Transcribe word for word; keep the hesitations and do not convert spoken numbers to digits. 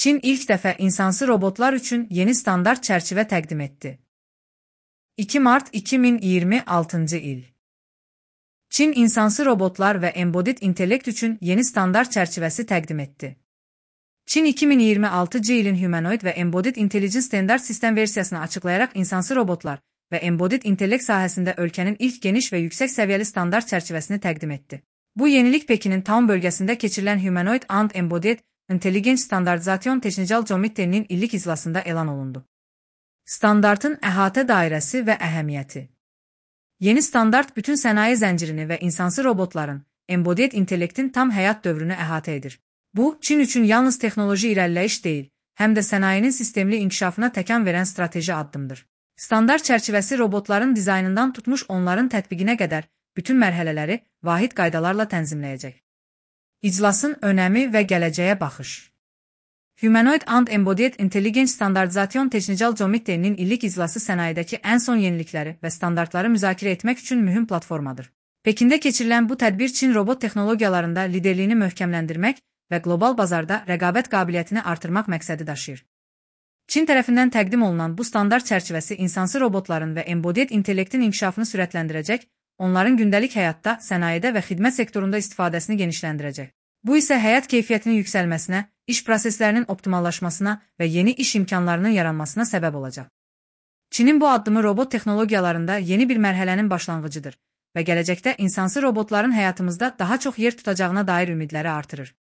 Çin ilk dəfə insansız robotlar üçün yeni standart çərçivə təqdim etdi. iki mart iki min iyirmi altıncı il. Çin insansız robotlar və embodied intellekt üçün yeni standart çərçivəsi təqdim etdi. Çin iki min iyirmi altıncı ilin Humanoid və Embodied Intelligence standart sistem versiyasını açıqlayaraq insansız robotlar və embodied intellekt sahəsində ölkənin ilk geniş və yüksək səviyyəli standart çərçivəsini təqdim etdi. Bu yenilik Pekinin Town bölgəsində keçirilən Humanoid and Embodied Intelligence Standardization Technical Committee'nin illik iclasında elan olundu. Standartın əhatə dairəsi və əhəmiyyəti. Yeni standart bütün sənaye zəncirini və insansız robotların, embodied intellektin tam həyat dövrünü əhatə edir. Bu, Çin üçün yalnız texnoloji irəliləyiş deyil, həm də sənayenin sistemli inkişafına təkan verən strateji addımdır. Standart çərçivəsi robotların dizaynından tutmuş onların tətbiqinə qədər bütün mərhələləri vahid qaydalarla tənzimləyəcək. İclasın önəmi və gələcəyə baxış. Humanoid and Embodied Intelligence Standardization Technical Committee'nin illik iclası sənayedəki ən son yenilikləri və standartları müzakirə etmək üçün mühüm platformadır. Pekində keçirilən bu tədbir Çin robot texnologiyalarında liderliyini möhkəmləndirmək və qlobal bazarda rəqabət qabiliyyətini artırmaq məqsədi daşıyır. Çin tərəfindən təqdim olunan bu standart çərçivəsi insansız robotların və embodied intellektin inkişafını sürətləndirəcək, onların gündəlik həyatda, sənayedə və xidmət sektorunda istifadəsini genişləndirəcək. Bu isə həyat keyfiyyətinin yüksəlməsinə, iş proseslərinin optimallaşmasına və yeni iş imkanlarının yaranmasına səbəb olacaq. Çinin bu addımı robot texnologiyalarında yeni bir mərhələnin başlanğıcıdır və gələcəkdə insansız robotların həyatımızda daha çox yer tutacağına dair ümidləri artırır.